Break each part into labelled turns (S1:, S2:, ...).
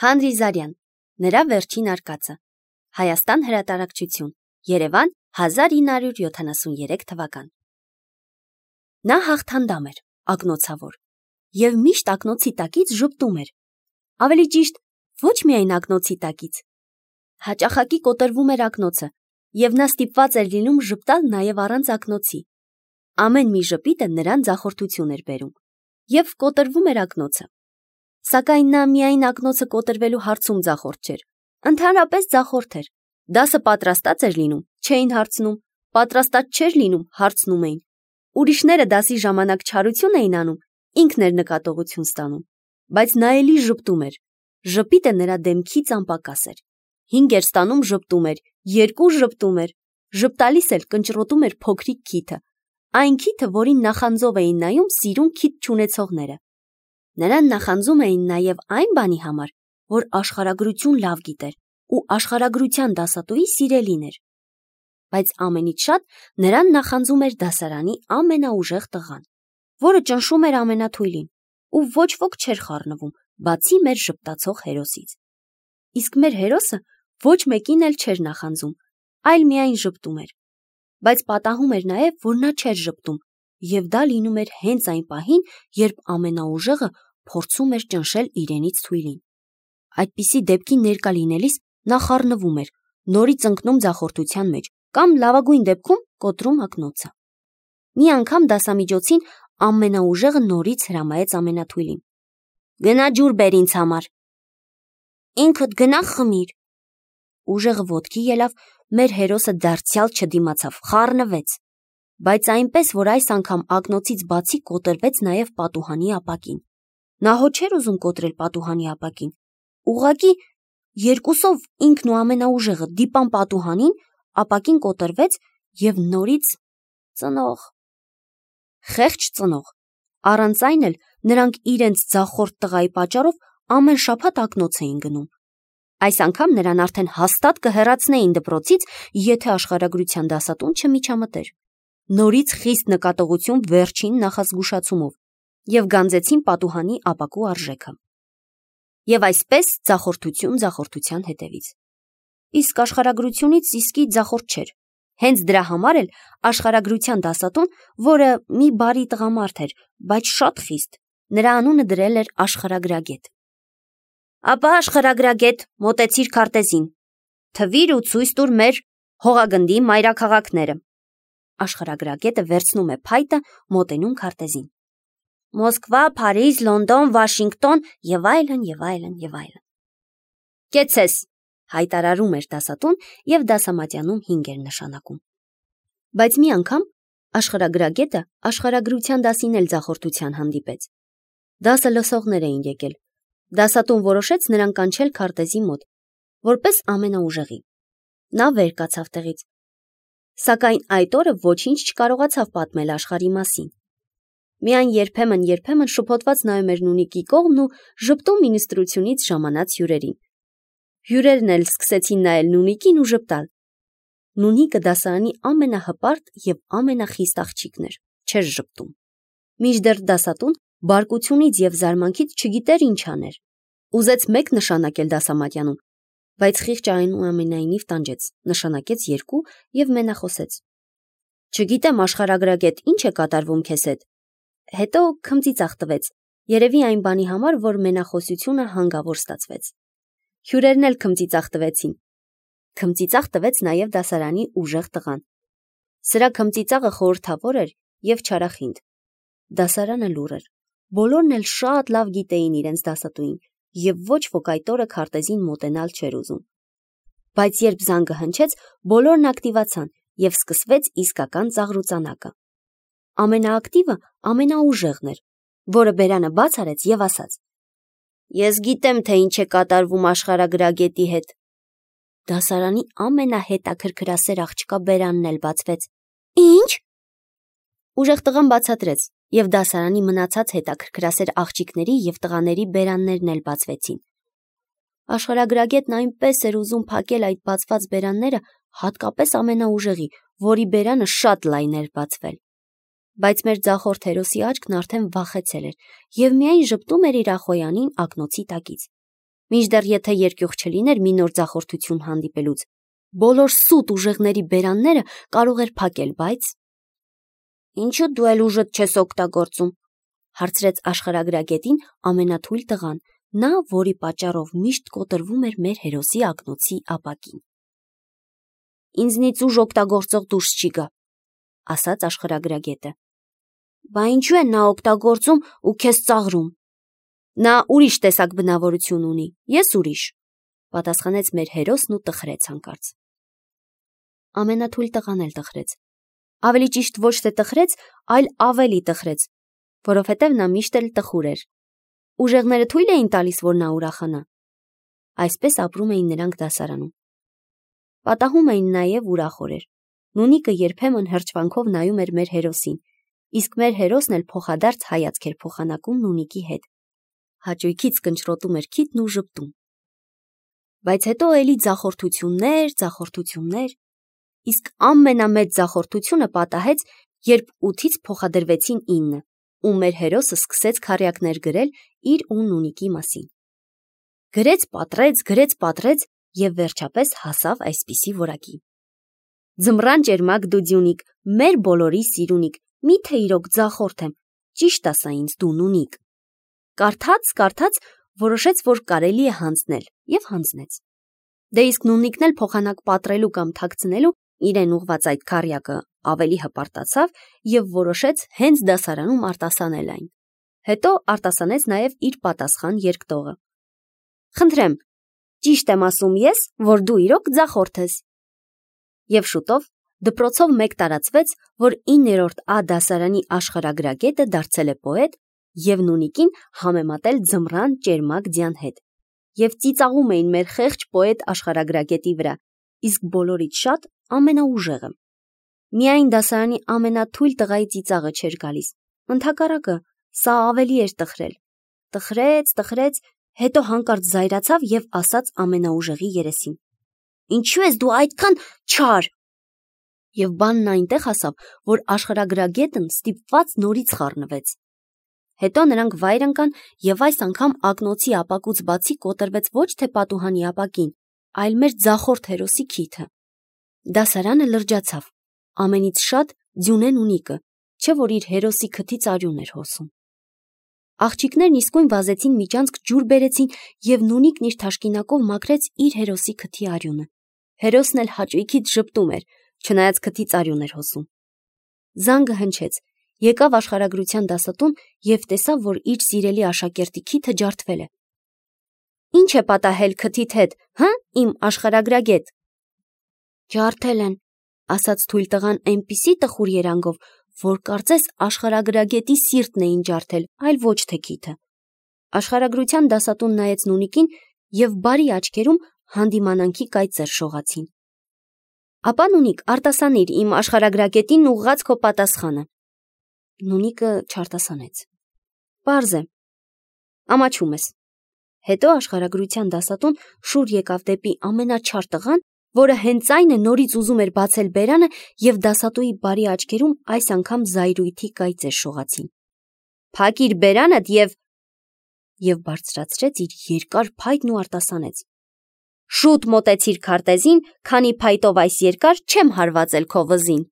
S1: Հանրիզարյան, նրա վերջին արկածը, Հայաստան հրատարակչություն, Երևան 1973 թվական։ Նա հաղթանդամ էր, ակնոցավոր, և միշտ ակնոցի տակից ժպտում էր, ավելի ճիշտ, ոչ միայն ակնոցի տակից։ Հաճախակի կոտրվում էր ակնոցը, և նա ստիպված էր լինում ժպտալ նաև առանց ակնոցի։ Ամեն մի ժպիտը նրան ձախորդություն էր բերում, և կոտրվում էր ակնոցը։ Սակայն նա միայն ակնոցը կոտրվելու հարցում ձախորդ չէր, ընդհանրապես ձախորդ էր։ Դասը պատրաստած էր լինում, չէին հարցնում, պատրաստած չէր լինում, հարցնում էին։ Ուրիշները դասի ժամանակ չարություն էին անում, ինքն էր նկատողություն ստանում, բայց նա էլի ժպտում էր։ Ժպիտը նրա դեմքից անպակաս էր։ 5 էր ստանում, ժպտում էր, 2 ժպտում էր, ժպտալիս էլ կնճռոտում էր փոքրիկ քիթը, այն քիթը, որին նախանձով էին նայում սիրուն քիթ չունեցողները։ Նրան նախանձում էին նաև այն բանի համար, որ աշխարհագրություն լավ գիտեր ու աշխարհագրության դասատուի սիրելին էր։ Բայց ամենից շատ նրան նախանձում էր դասարանի ամենաուժեղ տղան, որը ճնշում էր ամենաթույլին, ու ոչ ոք չէր խառնվում, բացի մեր ժպտացող հերոսից։ Իսկ մեր հերոսը ոչ մեկին էլ չէր նախանձում, այլ միայն ժպտում էր։ Բայց պատահում էր նաև, որ նա չէր ժպտում, և դա լինում էր հենց այն պահին, երբ ամենաուժեղը փորձում էր ճնշել իրենից թույլին։ Այդպիսի դեպքի ներկա լինելիս նա խառնվում էր, նորից ընկնում ձախորդության մեջ, կամ լավագույն դեպքում կոտրում ակնոցը։ Մի անգամ դասամիջոցին ամենաուժեղը նորից հրամայեց ամենաթույլին. «Գնա ջուր բեր ինձ համար»։ «Ինքդ գնա խմիր»։ Ուժեղը ոտքի ելավ, մեր հերոսը դարձյալ չդիմացավ, խառնվեց, բայց այնպես, որ այս անգամ ակնոցից բացի կոտրվեց նաև պատուհանի ապակին։ Նա հո չէր ուզում կոտրել պատուհանի ապակին, ուղղակի երկուսով ինքն ու ամենաուժեղը դիպան պատուհանին, ապակին կոտրվեց և նորից ծնող։ Խեղճ ծնող։ Առանց այն էլ նրանք իրենց ձախորդ տղայի պատճառով ամեն շաբաթ ակնոց էին գնում։ Այս անգամ նրան արդեն հաստատ կհեռացնեին դպրոցից, եթե աշխարհագրության դասատուն չմիջամտեր։ Նորից խիստ նկատողություն վերջին նախազգուշացումով և գանձեցին պատուհանի ապակու արժեքը։ Եվ այսպես ձախորդություն ձախորդության հետևից։ Իսկ աշխարհագրությունից իսկի ձախորդ չէր։ Հենց դրա համար էլ աշխարհագրության դասատուն, որը մի բարի տղամարդ էր, բայց շատ խիստ, նրա անունը դրել էր Աշխարհագրագետ։ Ապա աշխարհագրագետ, մոտեցիր քարտեզին, թվիր ու ցույց տուր մեր հողագնդի մայրաքաղաքները։ Աշխարհագրագետը վերցնում է փայտը, մոտենում քարտեզին։ Մոսկվա, Փարիզ, Լոնդոն, Վաշինգտոն և այլն, և այլն, և այլն։ Կեցես, հայտարարում էր դասատուն և դասամատյանում 5 էր նշանակում։ Բայց մի անգամ աշխարհագրագետը աշխարհագրության դասին էլ ձախորդության հանդիպեց։ Դասը լսողներ էին եկել։ Դասատուն որոշեց նրան կանչել քարտեզի մոտ, որպես ամենաուժեղի։ Նա վեր կացավ տեղից, սակայն այդ օրը ոչինչ չկարողացավ պատմել աշխարհի մասին։ Միայն երբեմն շփոթված նայում էր Նունիկի կողմն ու ժպտում ինստրուկցիոնից ժամանած հյուրերին։ Հյուրերն էլ սկսեցին նայել Նունիկին ու ժպտալ։ Նունիկը դասարանի ամենահպարտ և ամենախիստ աղջիկն էր, չէր ժպտում։ Մինչդեռ դասատուն բարկությունից և զարմանքից չգիտեր ինչ աներ։ Ուզեց 1 նշանակել դասամատյանում, բայց խիղճը այնուամենայնիվ տանջեց, նշանակեց 2 և մենախոսեց. Չգիտեմ, աշխարհագրագետ, ինչ է կատարվում քեզ հետ։ Հետո քմծիծաղ տվեց, երևի այն բանի համար, որ մենախոսությունը հանգավոր ստացվեց։ Հյուրերն էլ քմծիծաղ տվեցին։ Քմծիծաղ տվեց նաև դասարանի ուժեղ տղան։ Սրա քմծիծաղը խորհրդավոր էր և չարախինդ։ Դասարանը լուռ էր։ Բոլորն էլ շատ լավ գիտեին իրենց դասատուին և ոչ ոք այդ օրը քարտեզին մոտենալ չէր ուզում։ Բայց երբ զանգը հնչեց, բոլորն ակտիվացան և սկսվեց իսկական ծաղրուծանակը։ Ամենաակտիվը ամենաուժեղն էր, որը բերանը բաց արեց և ասաց. Ես գիտեմ, թե ինչ է կատարվում աշխարհագրագետի հետ։ Դասարանի ամենահետաքրքրասեր աղջկա բերանն էլ բացվեց։ Ինչ։ Ուժեղ տղան բացատրեց, և դասարանի մնացած հետաքրքրասեր աղջիկների և տղաների բերաններն էլ բացվեցին։ Աշխարհագրագետն այնպես էր ուզում փակել այդ բացված բերանները, հատկապես ամենաուժեղի, որի բերանը շատ լայն էր բացվել։ Բայց մեր ձախորդ հերոսի աչքն արդեն վախեցել էր և միայն ժպտում էր իր ախոյանին ակնոցի տակից։ Մինչդեռ եթե երկյուղ չլիներ մի նոր ձախորդություն հանդիպելուց, բոլոր սուտ ուժեղների բերանները կարող էր փակել, բայց… Ինչու դու էլ ուժդ չես օգտագործում, հարցրեց աշխարհագրագետին ամենաթույլ տղան, նա, որի պատճառով միշտ կոտրվում էր մեր հերոսի ակնոցի ապակին։ Ինձնից ուժ օգտագործող դուրս չի գա, ասաց աշխարհագրագետը։ Բա ինչու է նա օգտագործում ու քեզ ծաղրում։ Նա ուրիշ տեսակ բնավորություն ունի, ես ուրիշ, պատասխանեց մեր հերոսն ու տխրեց հանկարծ։ Ամենաթույլ տղան էլ տխրեց։ Ավելի ճիշտ ոչ թե տխրեց, այլ ավելի տխրեց, որովհետև նա միշտ էլ տխուր էր։ Ուժեղները թույլ էին տալիս, որ նա ուրախանա։ Այսպես ապրում էին նրանք դասարանում։ Պատահում էին նաև ուրախորեր։ Նունիկը երբեմն հրճվանքով նայում էր մեր հերոսին, իսկ մեր հերոսն էլ փոխադարձ հայացք էր փոխանակում Նունիկի հետ։ Հաճույքից կնճռոտում էր քիթն ու ժպտում։ Բայց հետո էլի ձախորդություններ, իսկ ամենամեծ ձախորդությունը պատահեց, երբ 8-ից փոխադրվեցին 9, ու մեր հերոսը սկսեց քառյակներ գրել իր ու Նունիկի մասին։ Գրեց, պատռեց և վերջապես հասավ այսպիսի որակի. Ձմռան ճերմակ դուդյունիկ, մեր բոլորի սիրունիկ, միթե իրոք ձախորդ եմ, ճիշտ ասա ինձ դու Նունիկ։ Կարդաց, որոշեց, որ կարելի է հանձնել, և հանձնեց։ Դե իսկ Նունիկն էլ փոխանակ պատռելու կամ թաքցնելու իրեն ուղված այդ քառյակը ավելի հպարտացավ և որոշեց հենց դասարանում արտասանել այն։ Հետո արտասանեց նաև իր պատասխան երկտողը։ Խնդրեմ, ճիշտ եմ ասում ես, որ դու իրոք ձախորդ ես։ Եվ շուտով դպրոցով մեկ տարածվեց, որ 9-րդ A դասարանի աշխարհագրագետը դարձել է պոետ և Նունիկին համեմատել ձմռան ճերմակ ձյան հետ։ Եվ ծիծաղում էին մեր խեղճ պոետ աշխարհագրագետի վրա, իսկ բոլորից շատ ամենաուժեղը։ Միայն դասարանի ամենաթույլ տղայի ծիծաղը չէր գալիս։ Ընդհակառակը, սա ավելի էր տխրել։ Տխրեց, հետո հանկարծ զայրացավ և ասաց ամենաուժեղի երեսին. Ինչու ես դու այդքան չար։ Եվ բանն այնտեղ հասավ, որ աշխարհագրագետն ստիպված նորից խառնվեց։ Հետո նրանք վայր ընկան և այս անգամ ակնոցի ապակուց բացի կոտրվեց ոչ թե պատուհանի ապակին, այլ մեր ձախորդ հերոսի քիթը։ Դասարանը լրջացավ, ամենից շատ Ձյունե Նունիկը, չէ որ իր հերոսի քթից արյուն էր հոսում։ Աղջիկներն իսկույն վազեցին միջանցք ջուր բերեցին և Նունիկն իր թաշկինակով մաքրեց իր հերոսի քթի արյունը։ Հերոսն էլ հաճույքից ժպտում էր, չնայած քթից արյուն էր հոսում։ Զանգը հնչեց, եկավ աշխարհագրության դասատուն և տեսավ, որ իր սիրելի աշակերտի քիթը ջարդվել է։ Ինչ է պատահել քթիդ հետ, իմ աշխարհագրագետ։ Ջարդել են, ասաց թույլ տղան այնպիսի տխուր երանգով, որ կարծես աշխարհագրագետի սիրտն էին ջարդել, այլ ոչ թե քիթը։ Աշխարհագրության դասատուն նայեց Նունիկին և բարի աչքերում հանդիմանանքի կայծեր շողացին։ Ապա Նունիկ, արտասանիր իմ աշխարհագրագետին ուղղած քո պատասխանը։ Նունիկը չարտասանեց։ Պարզ է, ամաչում ես։ Հետո աշխարհագրության դասատուն շուռ եկավ դեպի ամենաչար տղան, որը հենց այն է նորից ուզում էր բացել բերանը և դասատուի բարի աչքերում այս անգամ զայրույթի կայծեր շողացին։ Փակիր բերանդ և բարձրացրեց իր երկար փայտն ու արտասանեց. Շուտ մոտեցիր քարտեզին, քանի փայտով այս երկար չեմ հարվածել քո վզին։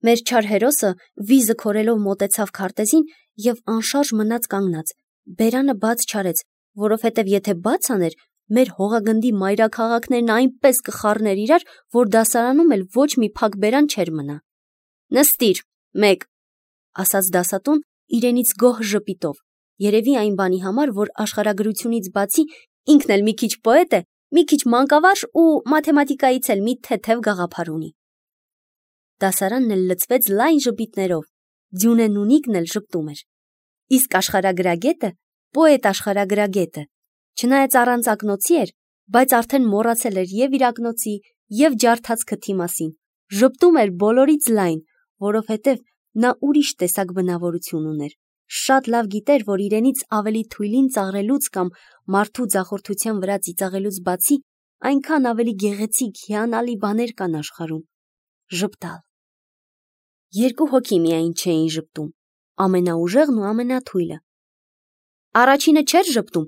S1: Մեր չար հերոսը վիզը քորելով մոտեցավ քարտեզին և անշարժ մնաց կանգնած, բերանը բաց չարեց, որովհետև եթե բաց աներ, մեր հողագնդի մայրաքաղաքներն այնպես կխառներ իրար, որ դասարանում էլ ոչ մի փակ բերան չէր մնա։ Նստիր, 1, ասաց դասատուն իրենից գոհ ժպիտով, երևի այն բանի համար, որ աշխարհագրությունից բացի ինքն էլ մի քիչ պոետ է, մի քիչ մանկավարժ ու մաթեմատիկայից էլ մի թեթև գաղափար ունի։ Դասարանն էլ լցվեց լայն ժպիտներով, Ձյունե Նունիկն էլ ժպտում էր։ Իսկ աշխարհագրագետը, պոետ աշխարհագրագետը, չնայած առանց ակնոցի էր, բայց արդեն մոռացել էր և իր ակնոցի, և ջարդած քթի մասին, ժպտում էր բոլորից լայն, որովհետև նա ուրիշ տեսակ բնավորություն ուներ, շատ լավ գիտեր, որ իրենից ավելի թույլին ծաղրելուց կամ մարդու ձախորդության վրա ծիծաղելուց բացի այնքան ավելի գեղեցիկ, հիանալի բաներ կան աշխարհում։ Ժպտալ։ Երկու հոգի միայն չէին ժպտում, ամենաուժեղն ու ամենաթույլը։ Առաջինը չէր ժպտում,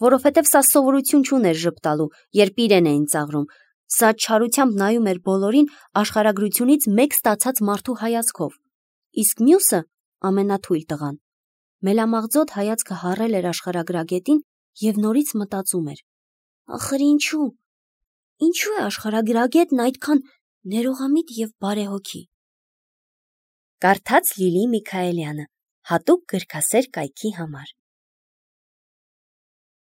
S1: որովհետև սա սովորություն չուներ ժպտալու, երբ իրեն էին ծաղրում, սա չարությամբ նայում էր բոլորին աշխարհագրությունից մեկ ստացած մարդու հայացքով, իսկ մյուսը ամենաթույլ տղան մելամաղձոտ հայացքը հառել էր աշխարհագրագետին և նորից մտածում էր. ախր ինչու է աշխարհագրագետն այդքան ներողամիտ և բարեհոգի։ Կարդաց Լիլի Միքայելյանը հատուկ գրքասեր կայքի համար։